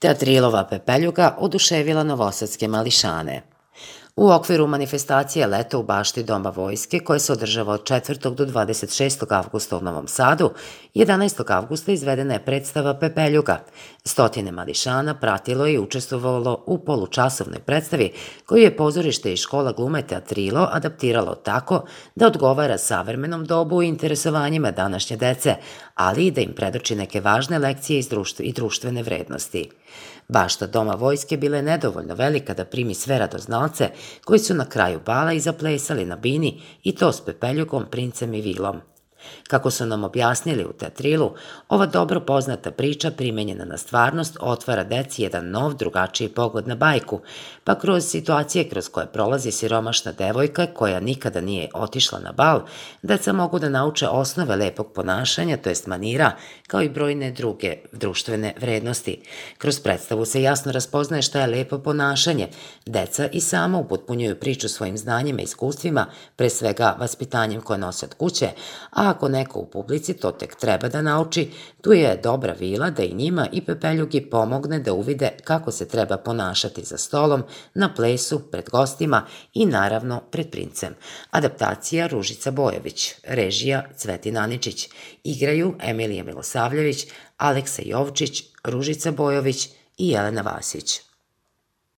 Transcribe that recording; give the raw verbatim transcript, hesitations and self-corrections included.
Teatrilova Pepeljuga oduševila novosadske mališane. U okviru manifestacije Leto u bašti Doma vojske, koje se održava od četvrtog do dvadeset šestog avgusta u Novom Sadu, jedanaestog avgusta izvedena je predstava Pepeljuga. Stotine mališana pratilo je i učestvovalo u polučasovnoj predstavi koju je pozorište i škola glume Teatrilo adaptiralo tako da odgovara savremenom dobu i interesovanjima današnje dece, ali i da im predoči neke važne lekcije i društvene vrednosti. Bašta Doma vojske bila je nedovoljno velika da primi sve radoznalce koji su na kraju bala i zaplesali na bini, i to s Pepeljugom, princem i vilom. Kako su nam objasnili u Teatrilu, ova dobro poznata priča primenjena na stvarnost otvara deci jedan nov, drugačiji pogled na bajku, pa kroz situacije kroz koje prolazi siromašna devojka koja nikada nije otišla na bal, deca mogu da nauče osnove lepog ponašanja, to jest manira, kao i brojne druge društvene vrednosti. Kroz predstavu se jasno raspoznaje šta je lepo ponašanje. Deca i sama upotpunjuju priču svojim znanjima i iskustvima, pre svega vaspitanjem koje nose od kuće, a ako neko u publici to tek treba da nauči, tu je dobra vila da i njima i Pepeljugi pomogne da uvide kako se treba ponašati za stolom, na plesu, pred gostima i naravno pred princem. Adaptacija Ružica Bojović, režija Cvetin Aničić, igraju Emilija Milosavljević, Aleksa Jovčić, Ružica Bojović i Jelena Vasić.